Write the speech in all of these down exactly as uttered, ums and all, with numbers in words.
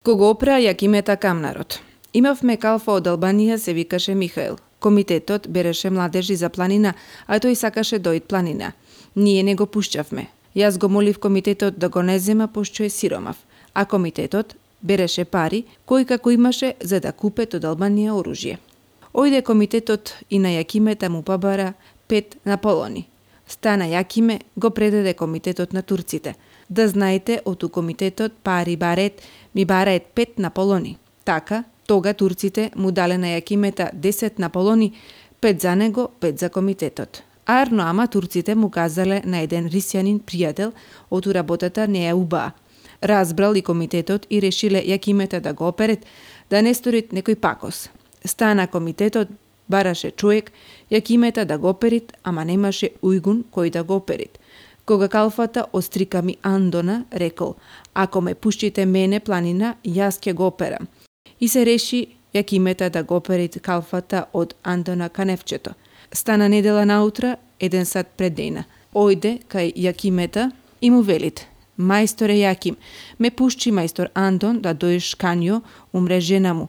Кого опра Јакимета Камнарот. Имавме калфа од Албанија, се викаше Михаил. Комитетот береше младежи за планина, а тој сакаше дојд планина. Ние не го пушчавме. Јас го молив комитетот да го не зема, пошто е сиромав. А комитетот береше пари, кој како имаше за да купет од Албанија оружје. Ојде комитетот и на Јакимета му побара пет наполони. Стана Јакиме, го предаде комитетот на турците. Да знаете, оту комитетот пари барет, ми бараат пет наполони. Така, тога турците му дале на Јакимета десет наполони, пет за него, пет за комитетот. Арно ама турците му казале на еден рисјанин пријател, оту работата не е убаа. Разбрал и комитетот и решиле Јакимета да го оперет, да не сторит некој пакос. Стана комитетот, бараше човек, Јакимета да го оперит, ама немаше ујгун кој да го оперит. Кога калфата острика ми Андона, рекол, ако ме пуштите мене планина, јас ќе го операм. И се реши Јакимета да го оперит калфата од Андона Каневчето. Стана недела наутра, еден сат пред дена. Ојде кај Јакимета и му велит, мајсторе Јаким, ме пушчи мајстор Андон да дојш канјо, умре жена му,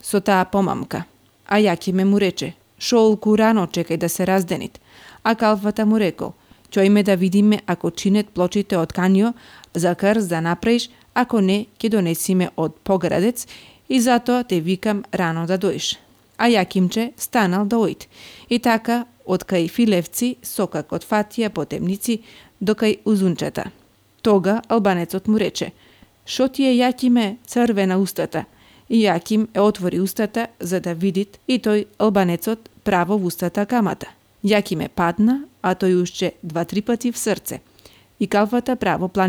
со таа помамка. А Јакиме му рече, шолку рано чекај да се разденит. А калфата му рекол, чојме да видиме ако чинет плочите од канјо, за крз да направиш, ако не, ќе донесиме од поградец и затоа те викам рано да дојш. А Јакимче станал да ојд. И така, од кај Филевци, сокак од Фатија по темници, до кај Узунчета. Тога албанецот му рече, шо ти е Јакиме црвена устата? И Јаким е отвори устата за да видит и тој албанецот право в устата камата. Јакиме падна, а тој ушче два-три пати в срце. И калфата право плани